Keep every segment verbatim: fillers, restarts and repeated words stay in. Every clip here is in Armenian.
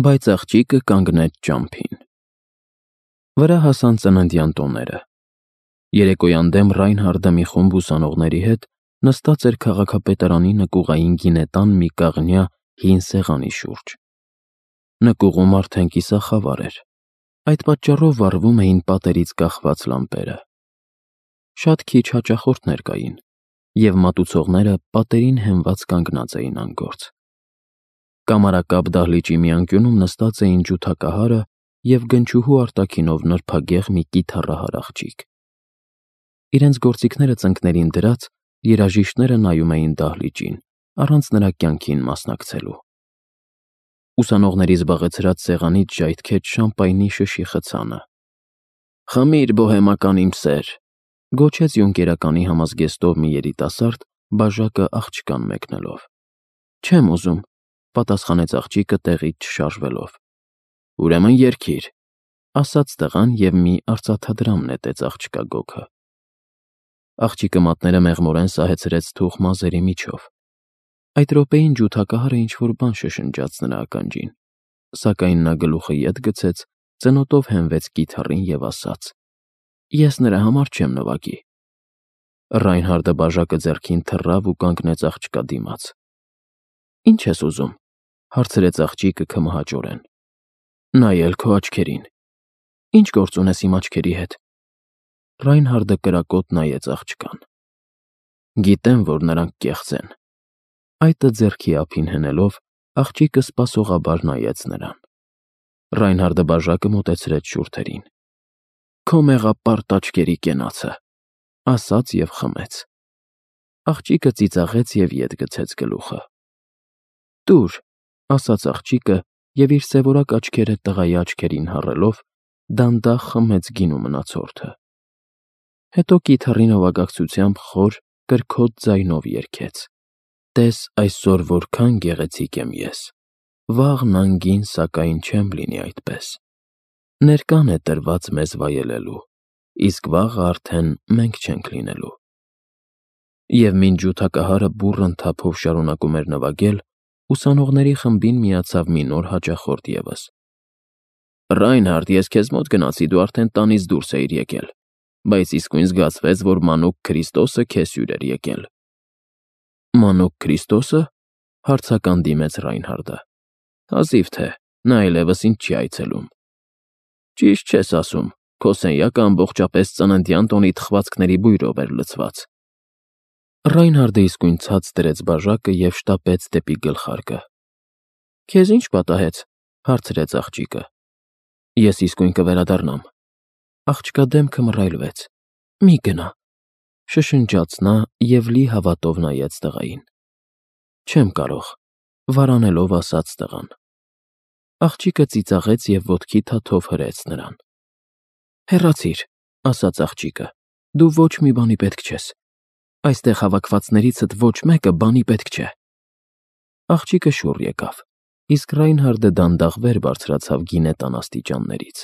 Բայց աղջիկը կանգնեց ճամփին։ Վրա հասան ծննդյան տոները։ Երեկոյան դեմ Ռայնհարդը մի խումբ ուսանողների հետ նստած էր քաղաքապետարանի նկուղային գինետան մի կաղնյա հին սեղանի շուրջ։ Նկուղում արդեն կիսախավար էր, այդ պատճառով վառվում էին պատերից կախված լամպերը։ Շատ քիչ հաճախորդներ կային, և մատուցողները պատերին հենված կանգնած էին անգործ։ Կամարակապ դահլիճի մի անկյունում նստած էին ջութակահարը և գնչուհու արտաքինով նրբագեղ մի կիթառահար աղջիկ։ Իրենց գործիքները ծնկներին դրած, երաժիշտները նայում էին դահլիճին, առանց նրա կյանքին մասնակցելու։ Ուսանողների զբաղեցրած սեղանից ժայթքեց շամպայնի շշի խցանը։ «Խմիր, բոհեմական իմ սեր», գոչեց յունկերականի համազգեստով մի երիտասարդ, բաժակը աղջկան մեկնելով։ «Չեմ ուզում», պատասխանեց աղջիկը տեղից չշարժվելով։ «Ուրեմն երգիր», ասաց տղան և մի արծաթադրամ նետեց աղջկա գոգը։ Աղջիկը մատները մեղմորեն սահեցրեց թուխ մազերի միջով։ Այդ րոպեին ջութակահարը ինչ-որ բան շշնջաց նրա ականջին, սակայն նա գլուխը ետ գցեց, ծնոտով հենվեց կիթառին և ասաց. «Ես նրա համար չեմ նվագի»։ Ռայնհարդը բաժակը ձեռքին թռավ ու կանգնեց աղջկա դիմաց։ «Ի՞նչ ես ուզում», հարցրեց աղջիկը քմահաճորեն։ «Նայել քո աչքերին»։ «Ի՞նչ գործ ունես իմ աչքերի հետ»։ Ռայնհարդը կրակոտ նայեց աղջկան։ «Գիտեմ, որ նրանք կեղծ են»։ Այտը ձեռքի ափին հենելով, աղջիկը սպասողաբար նայեց նրան։ Ռայնհարդը բաժակը մոտեցրեց շուրթերին։ «Քո մեղապարտ աչքերի կենացը», ասաց և խմեց։ Աղջիկը ծիծաղեց և ետ գցեց գլուխը։ «Տուր», ասաց աղջիկը և իր սևորակ աչքերը տղայի աչքերին հառելով, դանդաղ խմեց գինու մնացորդը։ Հետո կիթառի նվագակցությամբ խոր, կրքոտ ձայնով երգեց. «Տես այսօր որքան գեղեցիկ եմ ես, վաղն անգին սակայն չեմ լինի այդպես։ Ներկան է տրված մեզ վայելելու, իսկ վաղը արդեն մենք չենք լինելու»։ Եվ մինչ ջութակահարը բուռն թափով շարունակում էր նվագել, ուսանողների խմբին միացավ մի նոր հաճախորդ ևս։ «Ռայնհարդ, ես քեզ մոտ գնացի, դու արդեն տանից դուրս էիր եկել, բայց իսկույն զգացվեց, որ մանուկ Քրիստոսը քեզ հյուր էր եկել»։ «Մանուկ Քրիստոսը»։ հարցական դիմեց Ռայնհարդը։ «Հազիվ թե, նա այլևս ինձ չի այցելում»։ «Ճիշտ չես ասում, քո սենյակը ամբողջապես ծննդյան տոնի թխվածքների բույրով էր լցված»։ Ռայնհարդը իսկույն ցած դրեց բաժակը և շտապեց դեպի գլխարկը։ «Քեզ ի՞նչ պատահեց», հարցրեց աղջիկը։ «Ես իսկույն կվերադառնամ»։ Աղջկա դեմքը մռայլվեց։ «Մի գնա», շշնջաց նա և լի հավատով նայեց տղային։ «Չեմ կարող», վարանելով ասաց տղան։ Աղջիկը ծիծաղեց և ոտքի թաթով հրեց նրան։ «Հեռացիր», ասաց աղջիկը, «դու ոչ մի բանի պետք չես։ Այստեղ հավաքվածներիցդ ոչ մեկը բանի պետք չէ»։ Աղջիկը շուռ եկավ, իսկ Ռայնհարդը դանդաղ վեր բարձրացավ գինետան աստիճաններից։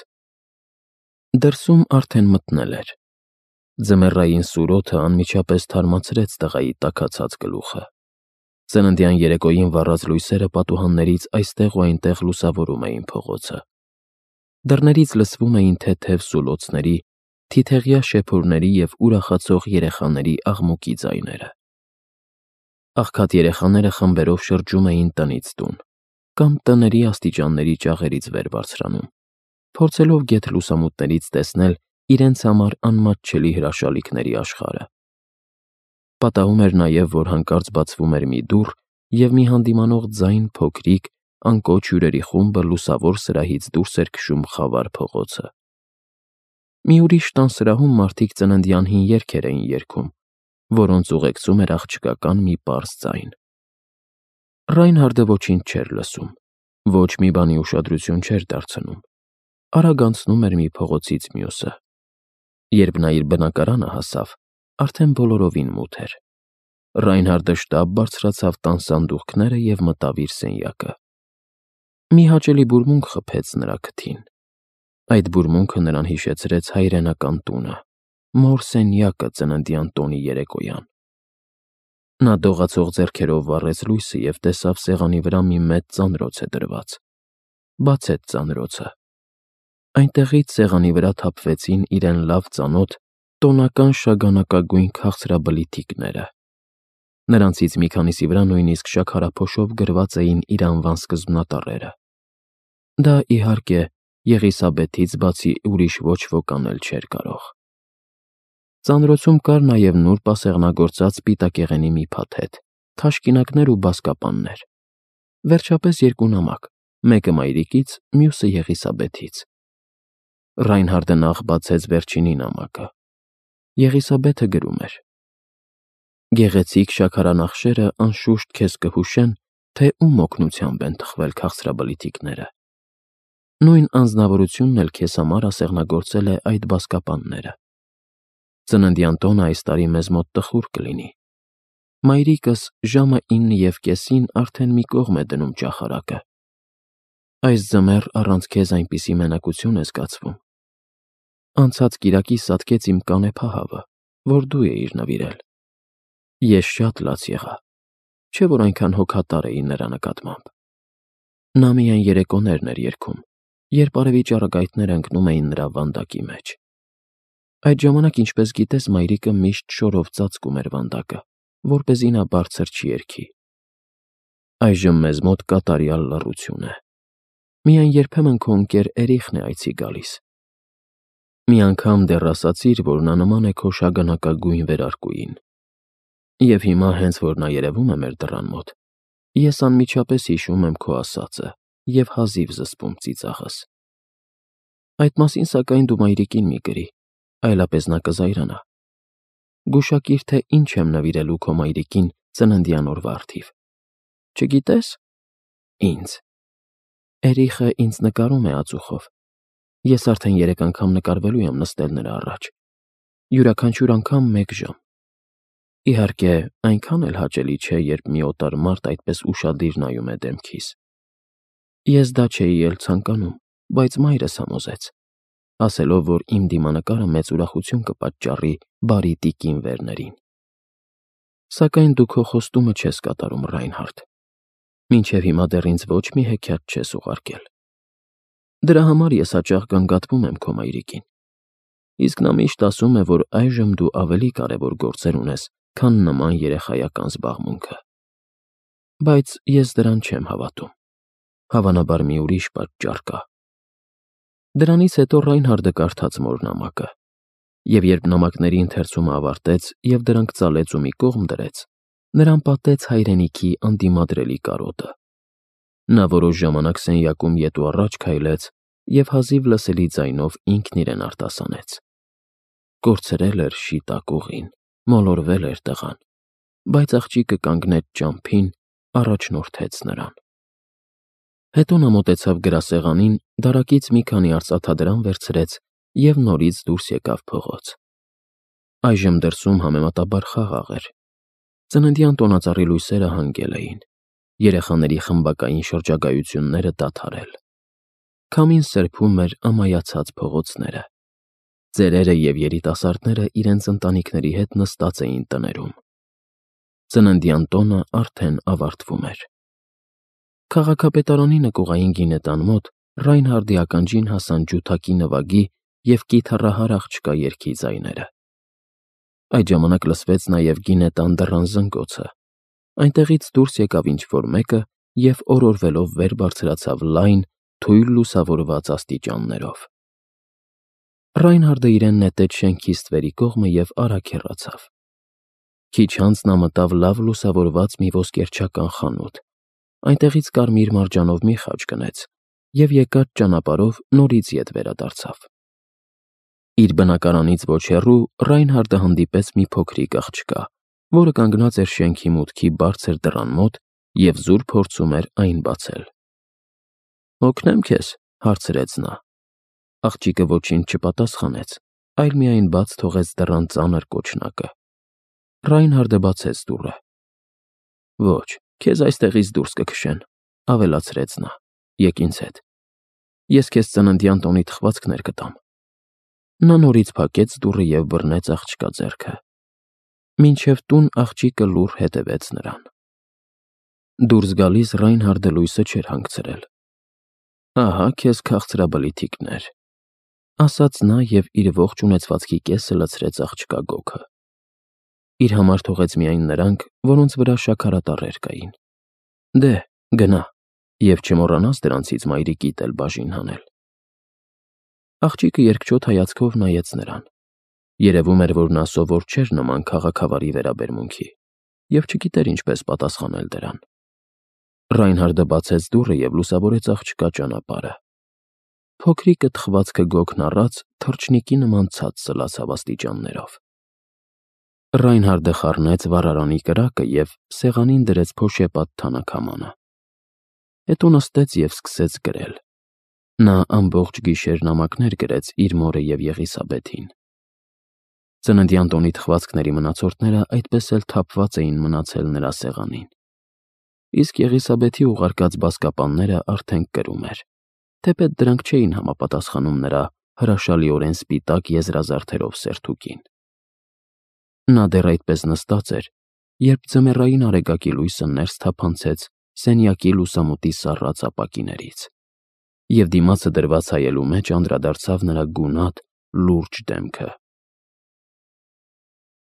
Դրսում արդեն մթնել էր։ Ձմեռային սուր օդը անմիջապես թարմացրեց տղայի տաքացած գլուխը։ Ծննդյան երեկոյին վառած լույսերը պատուհաններից այստեղ ու այնտեղ լուսավորում էին փողոցը։ Դռներից լսվում էին թեթև սուլոցների, թիթեղյա շեփորների և ուրախացող երեխաների աղմուկի ձայները։ Աղքատ երեխաները խմբերով շրջում էին տնից տուն, կամ տների աստիճանների ճաղերից վեր բարձրանում, փորձելով գեթ լուսամուտներից տեսնել իրենց համար անմատչելի հրաշալիքների աշխարհը։ Պատահում էր նաև, որ հանկարծ բացվում էր մի դուռ, և մի հանդիմանող ձայն փոքրիկ, անկոչ հյուրերի խումբը լուսավոր սրահից դուրս էր քշում խավար փողոցը։ Մի ուրիշ տան սրահում մարդիկ ծննդյան հին երգեր էին երգում, որոնց ուղեկցում էր աղջկական մի պարզ ձայն։ Ռայնհարդը ոչինչ չէր լսում, ոչ մի բանի ուշադրություն չէր դարձնում, արագ անցնում էր մի փողոցից մյուսը։ Երբ նա իր բնակարանը հասավ, արդեն բոլորովին մութ էր։ Ռայնհարդը շտապ բարձրացավ տան սանդուղքները և մտավ իր սենյակը։ Մի հաճելի բուրմունք խփեց նրա քթին։ Այդ բուրմունքը նրան հիշեցրեց հայրենական տունը, մոր սենյակը ծննդյան տոնի երեկոյան։ Նա դողացող ձեռքերով վառեց լույսը և տեսավ սեղանի վրա մի մեծ ծանրոց է դրված։ բացեց ծանրոցը։ Այնտեղից սեղանի վրա թափվեցին իրեն լավ ծանոթ տոնական շագանակագույն քաղցրաբլիթիկները։ Նրանցից մի քանիսի վրա նույնիսկ շաքարափոշով գրված էին իր անվան սկզբնատառերը։ Դա, իհարկե, Եղիսաբեթից բացի ուրիշ ոչ ոք անել չէր կարող։ Ծանրոցում կար նաև նուրբ ասեղնագործած սպիտակեղենի մի փաթեթ, թաշկինակներ ու բազկապաններ։ Վերջապես երկու նամակ, մեկը մայրիկից, մյուսը Եղիսաբեթից։ Ռայնհարդը նախ բացեց վերջինի նամակը։ Եղիսաբեթը գրում էր. «Գեղեցիկ շաքարանախշերը անշուշտ քեզ կհուշեն, թե ում օգնությամբ են թխվել քաղցրաբլիթիկները։ Նույն անձնավորությունն էլ քեզ համար ասեղնագործել է այդ բազկապանները։ Ծննդյան տոնը այս տարի մեզ մոտ տխուր կլինի։ Մայրիկս ժամը ինը և կեսին արդեն մի կողմ է դնում ճախարակը։ Այս ձմեռ առանց քեզ այնպիսի մենակություն է զգացվում։ Անցած կիրակի սատկեց իմ կանեփահավը, որ դու էիր նվիրել։ Ես շատ լաց եղա, չէ՞ որ այնքան հոգատար էի նրա նկատմամբ։ Նա միայն երեկոներն էր երգում, երբ արևի ճառագայթները ընկնում էին նրա վանդակի մեջ։ Այդ ժամանակ, ինչպես գիտես, մայրիկը միշտ շորով ծածկում էր վանդակը, որպեսզի նա բարձր չերգի։ Այժմ մեզ մոտ կատարյալ լռություն է։ Միայն երբեմն քո ընկեր Էրիխն է այցի գալիս։ Մի անգամ դեռ ասացիր, որ նա նման է քո շագանակագույն վերարկուին։ Եվ հիմա, հենց որ նա երևում է մեր դռան մոտ, ես անմիջապես հիշում եմ քո ասածը և հազիվ զսպում ծիծաղս։ Այդ մասին, սակայն, դու մայրիկին մի գրի, այլապես նա կզայրանա։ Գուշակիր, թե ինչ եմ նվիրելու քո մայրիկին ծննդյան օրվա առթիվ։ Չգիտես։ Ինձ։ Էրիխը ինձ նկարում է ածուխով։ Ես արդեն երեք անգամ նկարվելու եմ նստել նրա առաջ։ Յուրաքանչյուր անգամ մեկ ժամ։ Իհարկե, այնքան էլ հաճելի չէ, երբ մի օտար մարդ այդպես ուշադիր նայում է դեմքիս։ Ես դա չէի էլ ցանկանում, բայց մայրս համոզեց, ասելով, որ իմ դիմանկարը մեծ ուրախություն կպատճառի բարի տիկին Վերներին։ Սակայն դու քո խոստումը չես կատարում, Ռայնհարդ։ Մինչև հիմա դեռ ինձ ոչ մի հեքիաթ չես ուղարկել։ Դրա համար ես հաճախ գանգատվում եմ քո մայրիկին։ Իսկ նա միշտ ասում է, որ այժմ դու ավելի կարևոր գործեր ունես, քան նման երեխայական զբաղմունքը։ Բայց ես դրան չեմ հավատում։ Հավանաբար մի ուրիշ պատճառ կա։ Դրանից հետո Ռայնհարդը կարդաց մոր նամակը, և երբ նամակների ընթերցումը ավարտեց և դրանք ծալեց ու մի կողմ դրեց, նրան պատեց հայրենիքի անդիմադրելի կարոտը։ Նա որոշ ժամանակ սենյակում ետ ու առաջ քայլեց և հազիվ լսելի ձայնով ինքն իրեն արտասանեց. Կորցրել էր շիտակ ուղին, մոլորվել էր տղան, բայց աղջիկը կանգնեց ճամփին, առաջնորդեց նրան։ Հետո նա մոտեցավ գրասեղանին, դարակից մի քանի արծաթադրամ վերցրեց և նորից դուրս եկավ փողոց։ Այժմ դրսում համեմատաբար խաղաղ էր։ Ծննդյան տոնածառի լույսերը հանգել էին, երեխաների խմբակային շրջագայությունները դադարել։ Քամին սրբում էր ամայացած փողոցները։ Ծերերը և երիտասարդները իրենց ընտանիքների հետ նստած էին տներում։ Ծննդյան տոնը արդեն ավարտվում էր։ Քաղաքապետարանի նկուղային գինետան մոտ Ռայնհարդի ականջին հասան ջութակի նվագի և կիթառահար աղջկա երգի ձայները։ Այդ ժամանակ լսվեց նաև գինետան դռան զնգոցը։ Այնտեղից դուրս եկավ ինչ-որ մեկը և օրորվելով վեր բարձրացավ լայն, թույլ լուսավորված աստիճաններով։ Ռայնհարդը իրեն նետեց շենքի ստվերի կողմը և արագ հեռացավ։ Քիչ անց նա մտավ լավ լուսավորված մի ոսկերչական խանութ, այնտեղից կարմիր մարջանով մի խաչ գնեց և եկած ճանապարհով նորից ետ վերադարձավ։ Իր բնակարանից ոչ հեռու Ռայնհարդը հանդիպեց մի փոքրիկ աղջկա, որը կանգնած էր շենքի մուտքի բարձր դռան մոտ և զուր փորձում էր այն բացել։ «Օգնե՞մ քեզ», հարցրեց նա։ Աղջիկը ոչինչ չպատասխանեց, այլ միայն բաց թողեց դռան ծանր կոչնակը։ Ռայնհարդը բացեց դուռը։ «Ոչ, քեզ այստեղից դուրս կքշեն», ավելացրեց նա։ «Եկ ինձ հետ։ Ես քեզ ծննդյան տոնի թխվածքներ կտամ»։ Նա նորից փակեց դուռը և բռնեց աղջկա ձեռքը։ Մինչև տուն աղջիկը լուռ հետևեց նրան։ Դուրս գալիս Ռայնհարդը լույսը չէր հանգցրել։ Ահա քեզ քաղցրաբլիթիկներ, ասաց նա և իր ողջ ունեցվածքի կեսը լցրեց աղջկա գոգը։ Իր համար թողեց միայն նրանք, որոնց վրա շաքարատառեր կային։ Դե, գնա, և չմոռանաս դրանցից մայրիկիդ էլ բաժին հանել։ Աղջիկը երկչոտ հայացքով նայեց նրան։ Երևում էր, որ նա սովոր չէր նման քաղաքավարի վերաբերմունքի և չգիտեր ինչպես պատասխանել դրան։ Ռայնհարդը բացեց դուռը և լուսավորեց աղջկա ճանապարհը։ Փոքրիկը թխվածքը գոգն առած թռչնիկի նման ցած սլացավ աստիճաններով։ Ռայնհարդը խառնեց վառարանի կրակը և սեղանին դրեց փոշեպատ թանաքամանը։ Հետո նստեց և սկսեց գրել։ Նա ամբողջ գիշեր նամակներ գրեց իր մորը և Եղիսաբեթին։ Ծննդյան տոնի թխվածքների մնացորդները այդպես էլ թափված էին մնացել նրա սեղանին։ Իսկ Եղիսաբեթի ուղարկած բազկապանները արդեն կրում էր, թեպետ դրանք չէին համապատասխանում նրա հրաշալիորեն սպիտակ եզրազարդերով սերթուկին։ Նա դեռ այդպես նստած էր, երբ ձմեռային արեգակի լույսը ներս թափանցեց սենյակի լուսամուտի սառած ապակիներից, և դիմացը դրված հայելու մեջ անդրադարձավ նրա գունատ, լուրջ դեմքը։